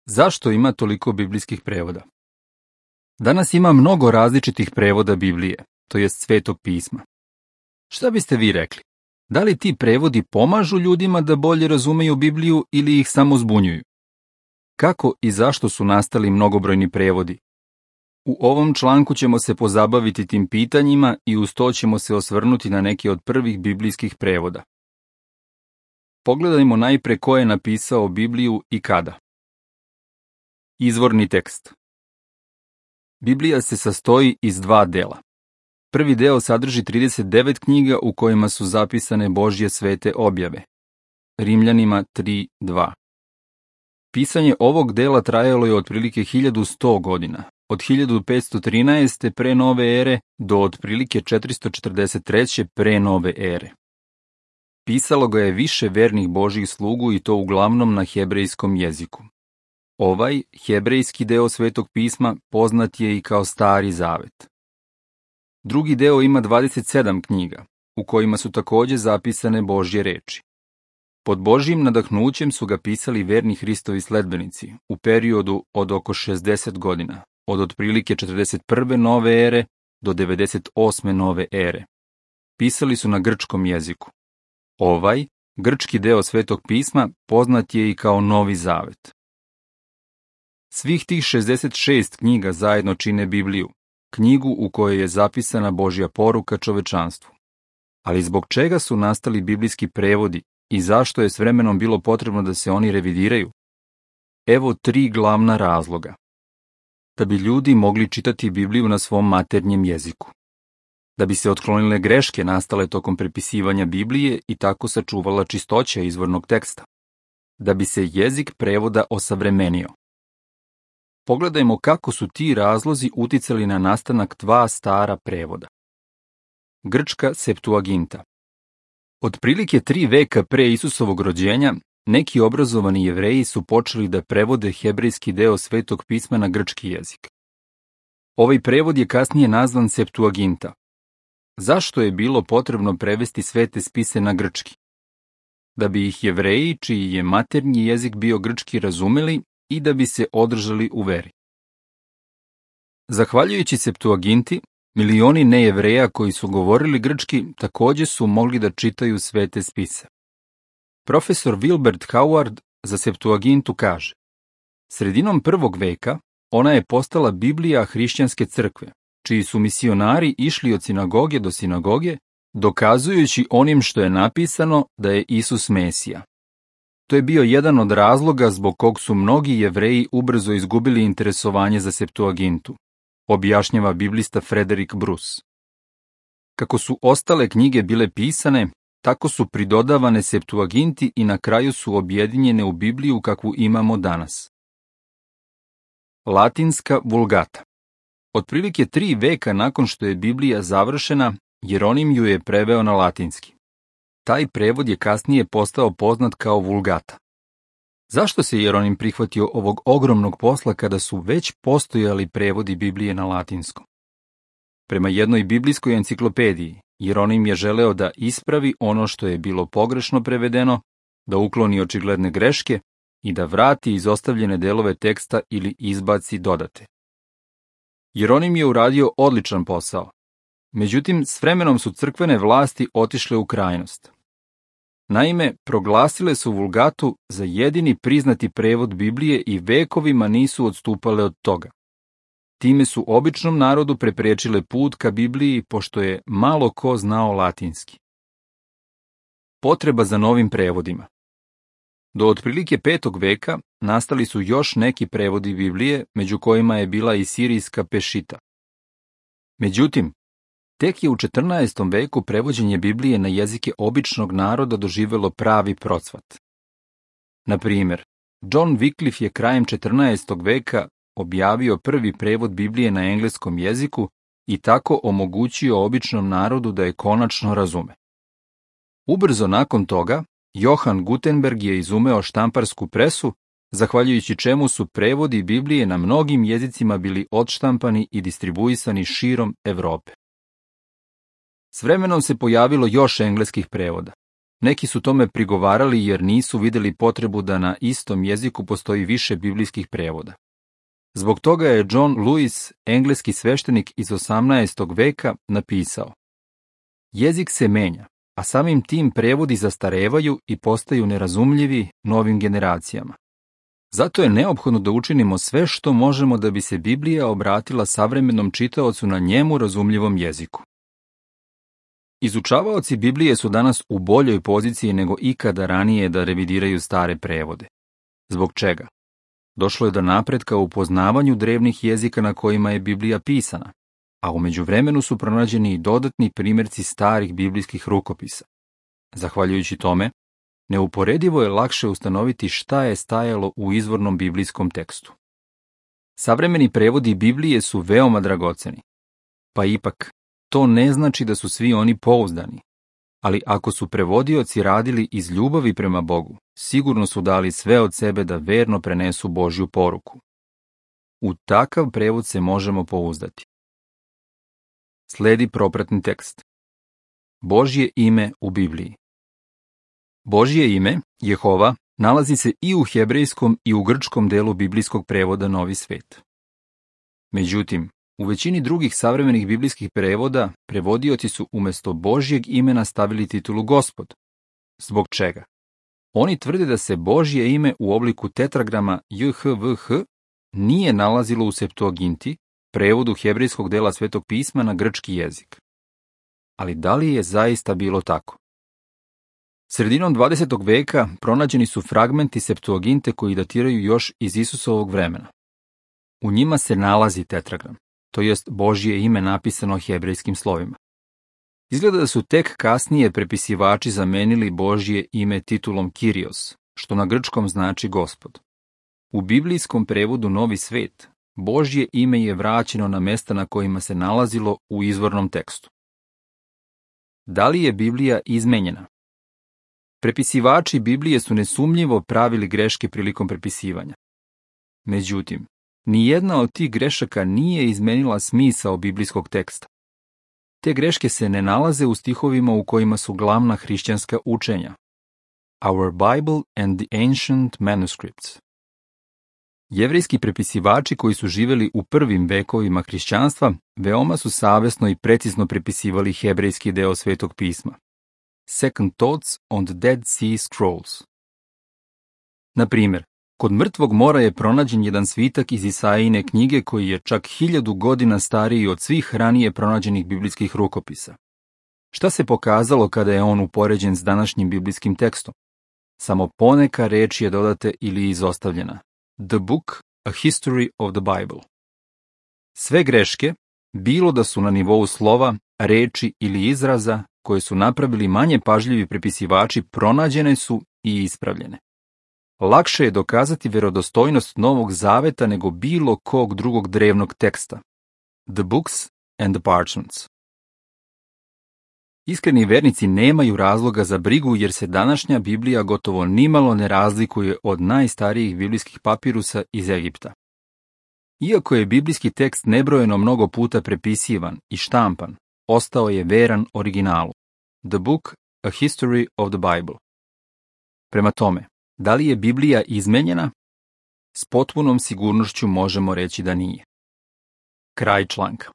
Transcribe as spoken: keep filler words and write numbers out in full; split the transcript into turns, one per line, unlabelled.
Zašto ima toliko biblijskih prevoda? Danas ima mnogo različitih prevoda Biblije, to jest Svetog pisma. Šta biste vi rekli? Da li ti prevodi pomažu ljudima da bolje razumeju Bibliju ili ih samo zbunjuju? Kako i zašto su nastali mnogobrojni prevodi? U ovom članku ćemo se pozabaviti tim pitanjima i uz to ćemo se osvrnuti na neke od prvih biblijskih prevoda. Pogledajmo najpre ko je napisao Bibliju i kada. Izvorni tekst. Biblija se sastoji iz dva dela. Prvi deo sadrži trideset devet knjiga u kojima su zapisane Božje svete objave. Rimljanima tri dva. Pisanje ovog dela trajalo je otprilike hiljadu sto godina, od hiljadu petsto trinaeste pre nove ere do otprilike četiristo četrdeset treće pre nove ere. Pisalo ga je više vernih Božjih slugu i to uglavnom na hebrejskom jeziku. Ovaj hebrejski deo Svetog pisma poznat je i kao Stari zavet. Drugi deo ima dvadeset sedam knjiga, u kojima su takođe zapisane Božje reči. Pod Božjim nadahnućem su ga pisali verni Hristovi sledbenici u periodu od oko šezdeset godina, od otprilike četrdeset prve nove ere do devedeset osme nove ere. Pisali su na grčkom jeziku. Ovaj, grčki deo Svetog pisma, poznat je i kao Novi zavet. Svih tih šezdeset šest knjiga zajedno čine Bibliju, knjigu u kojoj je zapisana Božja poruka čovečanstvu. Ali zbog čega su nastali biblijski prevodi i zašto je s vremenom bilo potrebno da se oni revidiraju? Evo tri glavna razloga. Da bi ljudi mogli čitati Bibliju na svom maternjem jeziku. Da bi se otklonile greške nastale tokom prepisivanja Biblije i tako sačuvala čistoća izvornog teksta. Da bi se jezik prevoda osavremenio. Pogledajmo kako su ti razlozi uticali na nastanak dva stara prevoda. Grčka Septuaginta. Otprilike tri veka pre Isusovog rođenja, neki obrazovani Jevreji su počeli da prevode hebrejski deo Svetog pisma na grčki jezik. Ovaj prevod je kasnije nazvan Septuaginta. Zašto je bilo potrebno prevesti svete spise na grčki? Da bi ih Jevreji, čiji je maternji jezik bio grčki, razumeli i da bi se održali u veri. Zahvaljujući Septuaginti, milioni nejevreja koji su govorili grčki takođe su mogli da čitaju svete spise. Profesor Wilbert Howard za Septuagintu kaže: sredinom prvog veka ona je postala Biblija hrišćanske crkve, čiji su misionari išli od sinagoge do sinagoge, dokazujući onim što je napisano da je Isus Mesija. To je bio jedan od razloga zbog kog su mnogi Jevreji ubrzo izgubili interesovanje za Septuagintu, objašnjava biblista Frederick Bruce. Kako su ostale knjige bile pisane, tako su pridodavane Septuaginti i na kraju su objedinjene u Bibliju kakvu imamo danas. Latinska vulgata. Otprilike tri veka nakon što je Biblija završena, Jeronim ju je preveo na latinski. Taj prevod je kasnije postao poznat kao vulgata. Zašto se Jeronim prihvatio ovog ogromnog posla kada su već postojali prevodi Biblije na latinskom? Prema jednoj biblijskoj enciklopediji, Jeronim je želeo da ispravi ono što je bilo pogrešno prevedeno, da ukloni očigledne greške i da vrati izostavljene delove teksta ili izbaci dodate. Jeronim je uradio odličan posao. Međutim, s vremenom su crkvene vlasti otišle u krajnost. Naime, proglasile su vulgatu za jedini priznati prevod Biblije i vekovima nisu odstupale od toga. Time su običnom narodu preprečile put ka Bibliji, pošto je malo ko znao latinski. Potreba za novim prevodima. Do otprilike petog veka nastali su još neki prevodi Biblije, među kojima je bila i sirijska Pešita. Međutim, tek je u četrnaestom veku prevođenje Biblije na jezike običnog naroda doživelo pravi procvat. Na primjer, John Wycliffe je krajem četrnaestog veka objavio prvi prevod Biblije na engleskom jeziku i tako omogućio običnom narodu da je konačno razume. Ubrzo nakon toga, Johann Gutenberg je izumeo štamparsku presu, zahvaljujući čemu su prevodi Biblije na mnogim jezicima bili odštampani i distribuisani širom Evrope. S vremenom se pojavilo još engleskih prevoda. Neki su tome prigovarali jer nisu vidjeli potrebu da na istom jeziku postoji više biblijskih prevoda. Zbog toga je John Lewis, engleski sveštenik iz osamnaestog veka, napisao: jezik se menja, a samim tim prevodi zastarevaju i postaju nerazumljivi novim generacijama. Zato je neophodno da učinimo sve što možemo da bi se Biblija obratila savremenom čitaocu na njemu razumljivom jeziku. Izučavaoci Biblije su danas u boljoj poziciji nego ikada ranije da revidiraju stare prevode. Zbog čega? Došlo je do napretka u poznavanju drevnih jezika na kojima je Biblija pisana, a u međuvremenu su pronađeni i dodatni primjerci starih biblijskih rukopisa. Zahvaljujući tome, neuporedivo je lakše ustanoviti šta je stajalo u izvornom biblijskom tekstu. Savremeni prevodi Biblije su veoma dragoceni, pa ipak to ne znači da su svi oni pouzdani, ali ako su prevodioci radili iz ljubavi prema Bogu, sigurno su dali sve od sebe da verno prenesu Božju poruku. U takav prevod se možemo pouzdati. Sledi propratni tekst. Božje ime u Bibliji. Božje ime, Jehova, nalazi se i u hebrejskom i u grčkom delu biblijskog prevoda Novi svet. Međutim, u većini drugih savremenih biblijskih prevoda prevodioci su umjesto Božjeg imena stavili titulu Gospod. Zbog čega? Oni tvrde da se Božje ime u obliku tetragrama J H V H nije nalazilo u Septuaginti, prevodu hebrejskog dela Svetog pisma na grčki jezik. Ali da li je zaista bilo tako? Sredinom dvadesetog veka pronađeni su fragmenti Septuaginte koji datiraju još iz Isusovog vremena. U njima se nalazi tetragram, to jest Božje ime napisano hebrejskim slovima. Izgleda da su tek kasnije prepisivači zamenili Božje ime titulom Kyrios, što na grčkom znači Gospod. U biblijskom prevodu Novi svet, Božje ime je vraćeno na mesta na kojima se nalazilo u izvornom tekstu. Da li je Biblija izmenjena? Prepisivači Biblije su nesumnjivo pravili greške prilikom prepisivanja. Međutim, nijedna od tih grešaka nije izmenila smisao biblijskog teksta. Te greške se ne nalaze u stihovima u kojima su glavna hrišćanska učenja. Our Bible and the Ancient Manuscripts. Jevrejski prepisivači koji su živjeli u prvim vekovima hrišćanstva veoma su savesno i precizno prepisivali hebrejski deo Svetog pisma. Second Thoughts on the Dead Sea Scrolls. Na primjer, kod Mrtvog mora je pronađen jedan svitak iz Isaijine knjige koji je čak hiljadu godina stariji od svih ranije pronađenih biblijskih rukopisa. Šta se pokazalo kada je on upoređen s današnjim biblijskim tekstom? Samo poneka reč je dodate ili izostavljena. The Book, A History of the Bible. Sve greške, bilo da su na nivou slova, reči ili izraza, koje su napravili manje pažljivi prepisivači, pronađene su i ispravljene. Lakše je dokazati vjerodostojnost Novog zaveta nego bilo kog drugog drevnog teksta. The Books and the Parchments. Iskreni vernici nemaju razloga za brigu jer se današnja Biblija gotovo nimalo ne razlikuje od najstarijih biblijskih papirusa iz Egipta. Iako je biblijski tekst nebrojeno mnogo puta prepisivan i štampan, ostao je veran originalu. The Book, A History of the Bible. Prema tome, da li je Biblija izmenjena? S potpunom sigurnošću možemo reći da nije. Kraj članka.